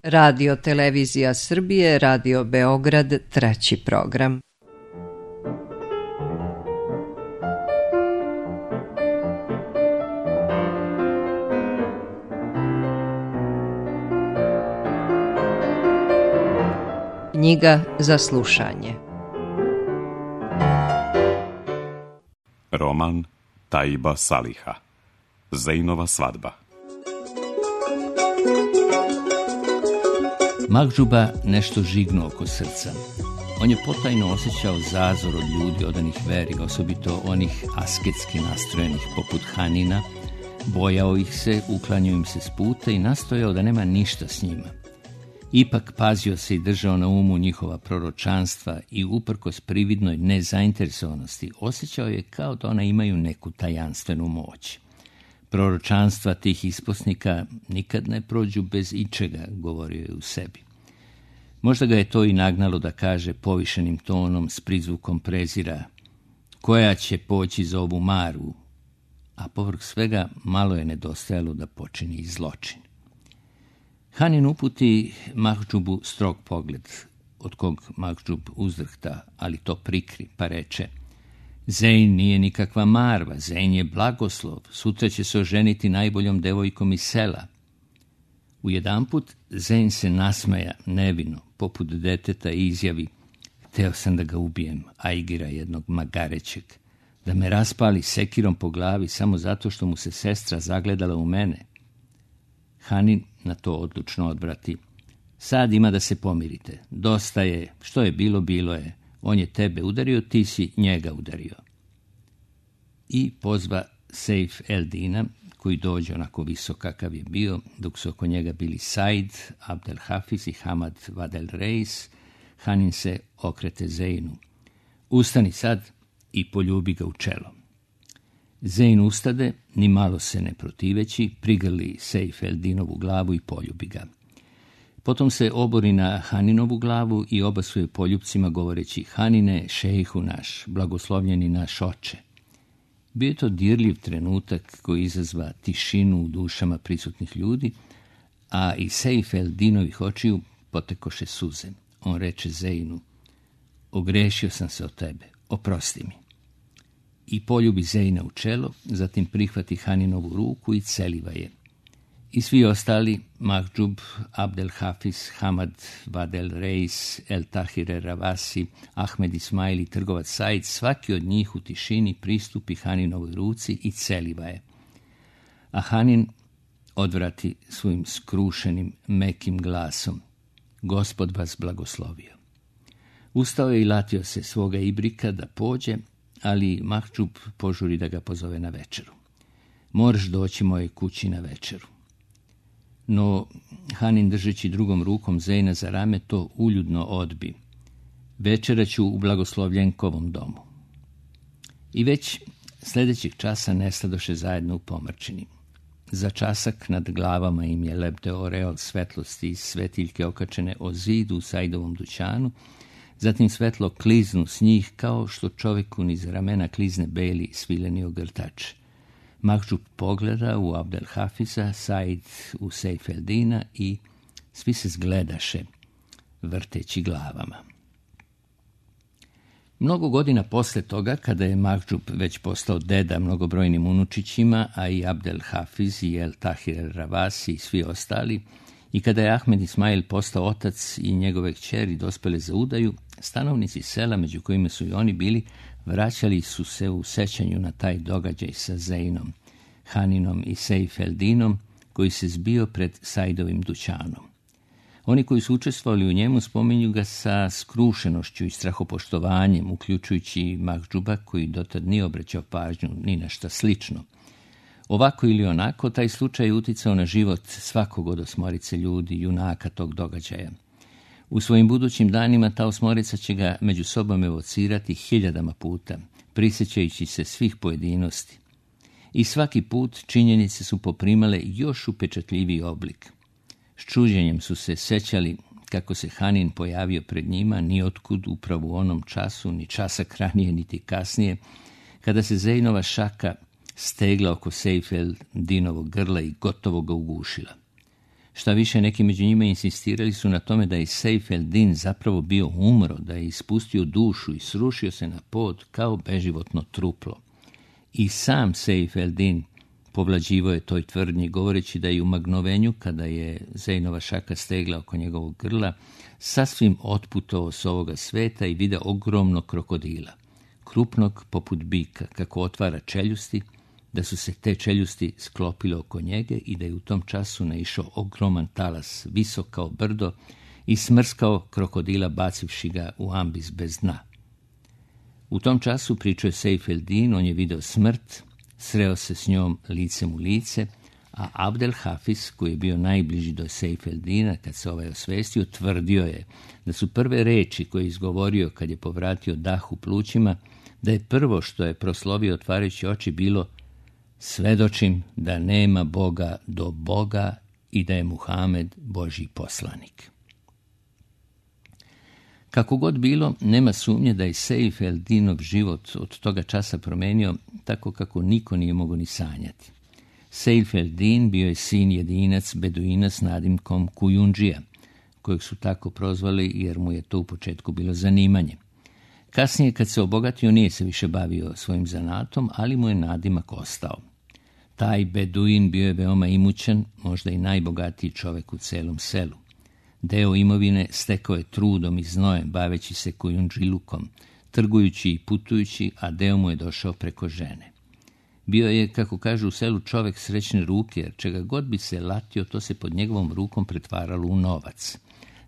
Radio Televizija Srbije, Radio Beograd, 3. program. Knjiga za slušanje. Roman Taiba Saliha. Zejnova svadba. Mahdžuba nešto žignuo oko srca. On je potajno osjećao zazor od ljudi odanih veri, osobito onih asketski nastrojenih poput Hanina. Bojao ih se, uklanjao im se s puta i nastojao da nema ništa s njima. Ipak pazio se i držao na umu njihova proročanstva i uprkos prividnoj nezainteresovanosti osjećao je kao da ona imaju neku tajanstvenu moć. Proročanstva tih isposnika nikad ne prođu bez ičega, govorio je u sebi. Možda ga je to i nagnalo da kaže povišenim tonom s prizvukom prezira: koja će poći za ovu maru, a povrh svega malo je nedostajalo da počini i zločin. Hanin uputi Mahdžubu strog pogled, od kog Mahdžub uzdrhta, ali to prikri, pa reče: Zeyn nije nikakva marva, Zeyn je blagoslov, sutra će se oženiti najboljom devojkom iz sela. Ujedanput Zeyn se nasmeja nevino, poput deteta, i izjavi: hteo sam da ga ubijem, ajgira jednog magarećeg, da me raspali sekirom po glavi samo zato što mu se sestra zagledala u mene. Hanin na to odlučno odvrati: sad ima da se pomirite, dosta je, što je bilo, bilo je. On je tebe udario, ti si njega udario. I pozva Sejf el-Dina, koji dođe onako visok kakav je bio, dok su oko njega bili Said, Abdel Hafiz i Hamad Vadel Reis. Hanin se okrete Zeynu: ustani sad i poljubi ga u čelo. Zeyn ustade, ni malo se ne protiveći, prigrli Sejf el-Dinovu glavu i poljubi ga. Potom se obori na Haninovu glavu i obasuje poljupcima govoreći: Hanine, šejhu naš, blagoslovljeni naš oče. Bio je to dirljiv trenutak koji izazva tišinu u dušama prisutnih ljudi, a iz Sejf el-Dinovih očiju potekoše suze. On reče Zeynu: ogrešio sam se od tebe, oprosti mi. I poljubi Zeyna u čelo, zatim prihvati Haninovu ruku i celiva je. I svi ostali, Mahdžub, Abdel Hafiz, Hamad Vadel Reis, El Tahir Ravasi, Ahmed Ismail i trgovac Said, svaki od njih u tišini pristupi Haninovoj ruci i celiva je. A Hanin odvrati svojim skrušenim, mekim glasom: Gospod vas blagoslovio. Ustao je i latio se svoga ibrika da pođe, ali Mahdžub požuri da ga pozove na večeru. Moraš doći mojoj kući na večeru. No Hanin, držeći drugom rukom Zeyna za rame, to uljudno odbi: večera ću u blagoslovljenkovom domu. I već sljedećeg časa nestadoše zajedno u pomrčini. Za časak nad glavama im je lebdeo oreol svetlosti iz svetiljke okačene o zidu u Saidovom dućanu, zatim svetlo kliznu s njih kao što čoveku niz ramena klizne beli svileni ogrtač. Mahdžub pogleda u Abdel Hafiza, Said u Sejf el-Dina i svi se zgledaše, vrteći glavama. Mnogo godina posle toga, kada je Mahdžub već postao deda mnogobrojnim unučićima, a i Abdel Hafiz i El Tahir Ravasi i svi ostali, i kada je Ahmed Ismail postao otac i njegove kćeri dospele za udaju, stanovnici sela, među kojima su i oni bili, vraćali su se u sećanju na taj događaj sa Zeynom, Haninom i Sejf el-Dinom, koji se zbio pred Saidovim dućanom. Oni koji su učestvovali u njemu spominju ga sa skrušenošću i strahopoštovanjem, uključujući Mahdžuba, koji dotad nije obraćao pažnju ni na šta slično. Ovako ili onako, taj slučaj je uticao na život svakog od osmorice ljudi, junaka tog događaja. U svojim budućim danima ta osmorica će ga među sobom evocirati hiljadama puta, prisjećajući se svih pojedinosti. I svaki put činjenice su poprimale još upečatljiviji oblik. S čuđenjem su se sećali kako se Hanin pojavio pred njima niotkud upravo u onom času, ni časak ranije niti kasnije, kada se Zeynova šaka stegla oko Sejf el-Dinovog grla i gotovo ga ugušila. Šta više, neki među njima insistirali su na tome da je Sejf el-Din zapravo bio umro, da je ispustio dušu i srušio se na pod kao beživotno truplo. I sam Sejf el-Din povlađivao je toj tvrdnji, govoreći da je u magnovenju, kada je Zejnova šaka stegla oko njegovog grla, sasvim otputovao s ovoga sveta i vidio ogromnog krokodila, krupnog poput bika, kako otvara čeljusti, da su se te čeljusti sklopile oko njega i da je u tom času naišao ogroman talas, visok kao brdo, i smrskao krokodila bacivši ga u ambis bez dna. U tom času, pričao je Sejf el-Din, on je video smrt, sreo se s njom licem u lice, a Abdel Hafiz, koji je bio najbliži do Sejf el-Dina kad se ovaj osvestio, tvrdio je da su prve reči koje je izgovorio kad je povratio dah u plućima, da je prvo što je proslovio otvarajući oči bilo: svedočim da nema Boga do Boga i da je Muhamed Božji poslanik. Kako god bilo, nema sumnje da je Sejf el-Dinov život od toga časa promenio tako kako niko nije mogao ni sanjati. Sejf el-Din bio je sin jedinac beduina s nadimkom Kujundžija, kojeg su tako prozvali jer mu je to u početku bilo zanimanje. Kasnije, kad se obogatio, nije se više bavio svojim zanatom, ali mu je nadimak ostao. Taj beduin bio je veoma imućan, možda i najbogatiji čovjek u celom selu. Deo imovine stekao je trudom i znojem, baveći se kujundžilukom, trgujući i putujući, a deo mu je došao preko žene. Bio je, kako kažu u selu, čovjek srećne ruke, jer čega god bi se latio, to se pod njegovom rukom pretvaralo u novac.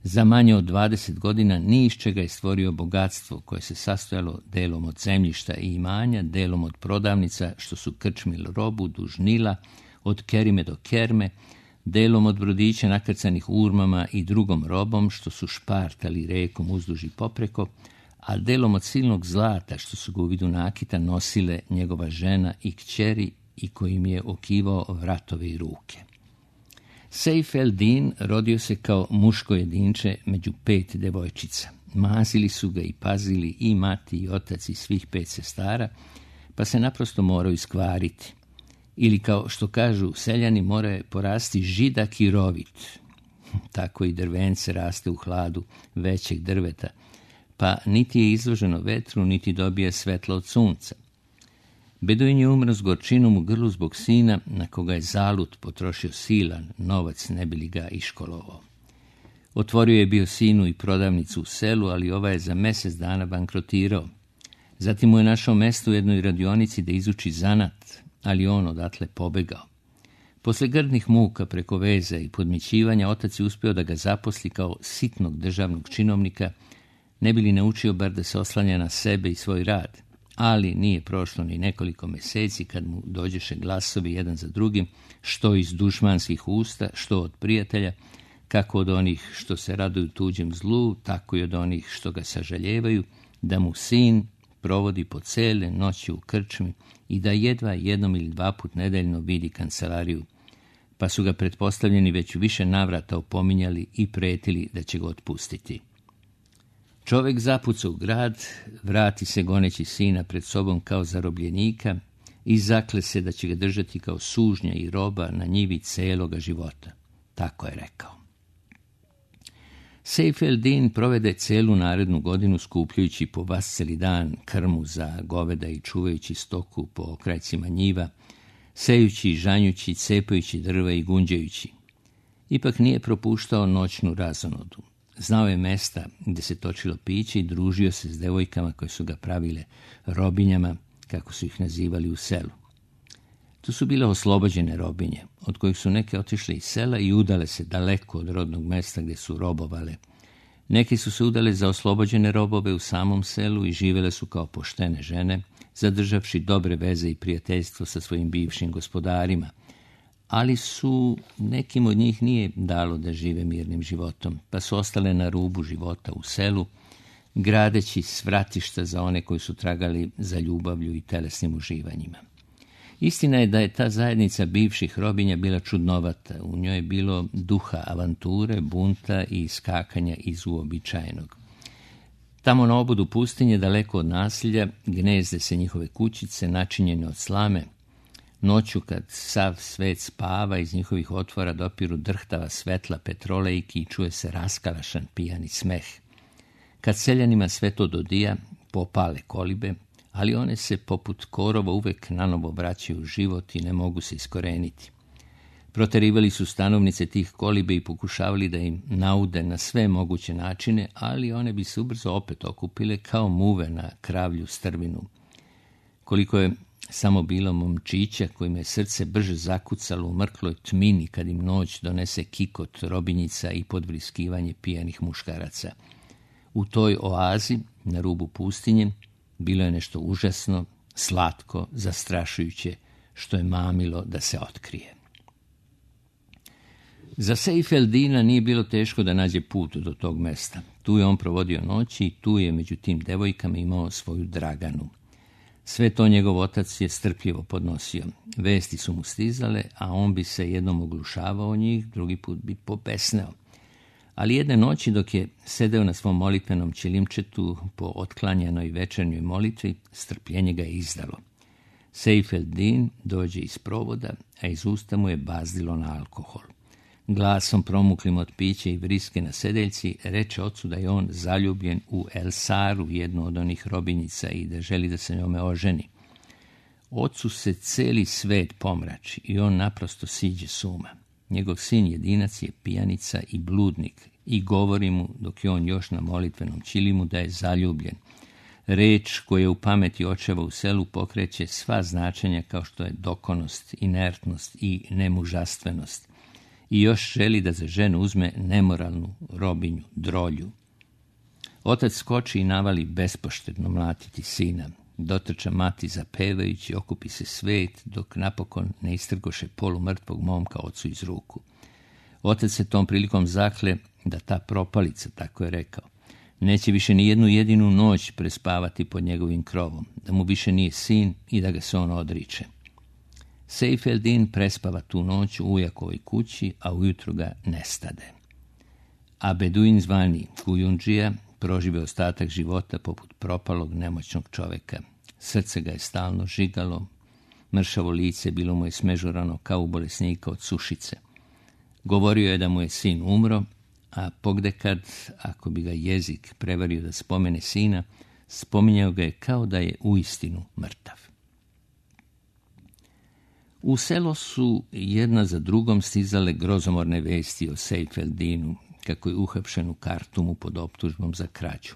Za manje od 20 godina ni iz čega je stvorio bogatstvo koje se sastojalo delom od zemljišta i imanja, delom od prodavnica što su krčmili robu duž Nila, od kerime do kerme, delom od brodića nakrcanih urmama i drugom robom što su špartali rekom uzduž i popreko, a delom od silnog zlata što su ga u vidu nakita nosile njegova žena i kćeri i kojim je okivao vratove i ruke. Sejf el-Din rodio se kao muško jedinče među 5 devojčica. Mazili su ga i pazili i mati i otac i svih 5 sestara, pa se naprosto morao iskvariti. Ili, kao što kažu seljani, mora porasti židak i rovit. Tako i drvence raste u hladu većeg drveta, pa niti je izloženo vetru, niti dobija svetlo od sunca. Beduin je umro s gorčinom u grlu zbog sina, na koga je zalud potrošio silan novac, ne bi li ga iškolovao. Otvorio je bio sinu i prodavnicu u selu, ali ova je za mjesec dana bankrotirao. Zatim mu je našao mesto u jednoj radionici da izuči zanat, ali on odatle pobegao. Posle grdnih muka preko veze i podmićivanja, otac je uspio da ga zaposli kao sitnog državnog činovnika, ne bi li naučio bar da se oslanja na sebe i svoj rad. Ali nije prošlo ni nekoliko mjeseci kad mu dođeše glasovi jedan za drugim, što iz dušmanskih usta, što od prijatelja, kako od onih što se raduju tuđem zlu, tako i od onih što ga sažaljevaju, da mu sin provodi po cele noći u krčmi i da jedva 1 ili 2 put nedeljno vidi kancelariju, pa su ga pretpostavljeni već u više navrata opominjali i pretili da će ga otpustiti. Čovjek zapuca u grad, vrati se goneći sina pred sobom kao zarobljenika i zakle se da će ga držati kao sužnja i roba na njivi celoga života. Tako je rekao. Sejf el-Din provede celu narednu godinu skupljujući po vasceli dan krmu za goveda i čuvajući stoku po okrajcima njiva, sejući, žanjući, cepajući drva i gunđajući. Ipak nije propuštao noćnu razonodu. Znao je mesta gdje se točilo piće i družio se s devojkama koje su ga pravile robinjama, kako su ih nazivali u selu. Tu su bile oslobođene robinje, od kojih su neke otišle iz sela i udale se daleko od rodnog mesta gdje su robovale. Neki su se udale za oslobođene robove u samom selu i živele su kao poštene žene, zadržavši dobre veze i prijateljstvo sa svojim bivšim gospodarima. Ali su nekim od njih nije dalo da žive mirnim životom, pa su ostale na rubu života u selu, gradeći svratišta za one koji su tragali za ljubavlju i telesnim uživanjima. Istina je da je ta zajednica bivših robinja bila čudnovata, u njoj je bilo duha avanture, bunta i skakanja iz uobičajenog. Tamo na obodu pustinje, daleko od nasilja, gnezde se njihove kućice načinjene od slame, Noću kad sav svet spava, iz njihovih otvora dopiru drhtava svetla petrolejki i čuje se raskalašan pijani smeh. Kad seljanima sve to dodija, popale kolibe, ali one se poput korova uvek nanovo vraćaju u život i ne mogu se iskoreniti. Proterivali su stanovnice tih kolibe i pokušavali da im naude na sve moguće načine, ali one bi se ubrzo opet okupile kao muve na kravlju strvinu. Koliko je samo bilo momčića kojima je srce brže zakucalo u mrkloj tmini kad im noć donese kikot robinjica i podvriskivanje pijanih muškaraca. U toj oazi, na rubu pustinje, bilo je nešto užasno, slatko, zastrašujuće, što je mamilo da se otkrije. Za Seifeldina nije bilo teško da nađe put do tog mesta. Tu je on provodio noći i tu je među tim devojkama imao svoju Draganu. Sve to njegov otac je strpljivo podnosio. Vesti su mu stizale, a on bi se jednom oglušavao njih, drugi put bi pobesneo. Ali jedne noći dok je sedeo na svom molitvenom ćilimčetu po otklanjanoj večernjoj molitvi, strpljenje ga je izdalo. Seifeldin dođe iz provoda, a iz usta mu je bazdilo na alkohol. Glasom promuklim od pića i vriske na sedeljci reče ocu da je on zaljubljen u Elsaru, jednu od onih robinjica, i da želi da se njome oženi. Ocu se celi svet pomrači i on naprosto siđe s uma. Njegov sin jedinac je pijanica i bludnik i govori mu, dok je on još na molitvenom ćilimu, da je zaljubljen. Reč koja u pameti očeva u selu pokreće sva značenja kao što je dokonost, inertnost i nemužastvenost. I još želi da za ženu uzme nemoralnu robinju, drolju. Otac skoči i navali bespoštedno mlatiti sina. Dotrča mati zapevajući, okupi se svet, dok napokon ne istrgoše polumrtvog momka ocu iz ruku. Otac se tom prilikom zakle da ta propalica, tako je rekao, neće više ni jednu jedinu noć prespavati pod njegovim krovom, da mu više nije sin i da ga se on odriče. Seifeldin prespava tu noć u ujakovoj kući, a ujutro ga nestade. A beduin zvani Kujundžija prožive ostatak života poput propalog nemoćnog čoveka. Srce ga je stalno žigalo, mršavo lice bilo mu je smežurano kao u bolesnika od sušice. Govorio je da mu je sin umro, a pogdekad, ako bi ga jezik prevario da spomene sina, spominjao ga je kao da je uistinu mrtav. U selo su jedna za drugom stizale grozomorne vesti o Seifeldinu, kako je uhapšen u Kartumu pod optužbom za krađu,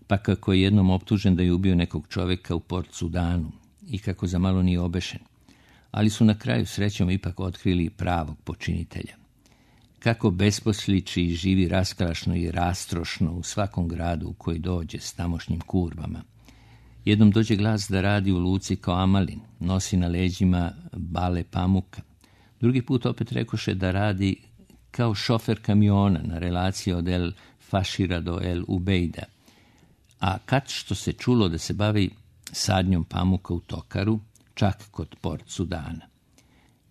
pa kako je jednom optužen da je ubio nekog čoveka u Port Sudanu i kako za malo nije obešen, ali su na kraju srećom ipak otkrili pravog počinitelja. Kako besposliči i živi raskalašno i rastrošno u svakom gradu u koji dođe s tamošnjim kurbama. Jednom dođe glas da radi u luci kao Amalin, nosi na leđima bale pamuka. Drugi put opet rekoše da radi kao šofer kamiona na relaciji od El Fašira do El Ubejda. A kad što se čulo da se bavi sadnjom pamuka u Tokaru, čak kod Port Sudana.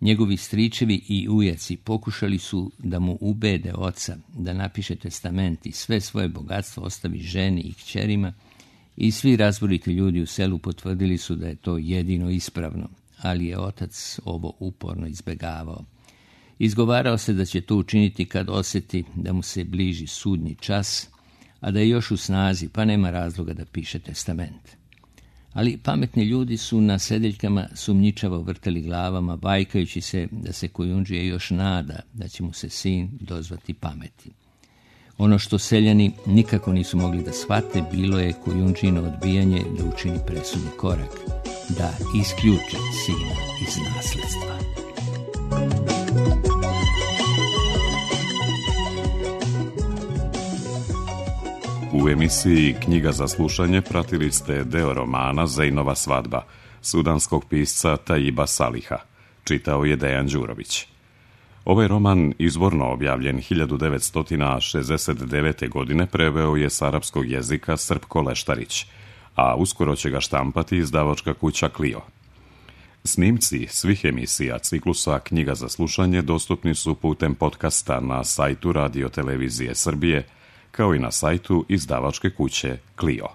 Njegovi stričevi i ujaci pokušali su da mu ubede oca da napiše testament i sve svoje bogatstvo ostavi ženi i kćerima, i svi razboriti ljudi u selu potvrdili su da je to jedino ispravno, ali je otac ovo uporno izbegavao. Izgovarao se da će to učiniti kad osjeti da mu se bliži sudnji čas, a da je još u snazi, pa nema razloga da piše testament. Ali pametni ljudi su na sedeljkama sumnjičavo vrteli glavama, vajkajući se da se Kujundžija još nada da će mu se sin dozvati pameti. Ono što seljani nikako nisu mogli da shvate bilo je Kujundžino odbijanje da učini presudni korak, da isključe sina iz nasledstva. U emisiji Knjiga za slušanje pratili ste deo romana Zejnova svadba sudanskog pisca Taiba Saliha. Čitao je Dejan Đurović. Ovaj roman, izvorno objavljen 1969. godine, preveo je s arapskog jezika Srpko Leštarić, a uskoro će ga štampati izdavačka kuća Clio. Snimci svih emisija ciklusa Knjiga za slušanje dostupni su putem podcasta na sajtu Radio Televizije Srbije, kao i na sajtu izdavačke kuće Clio.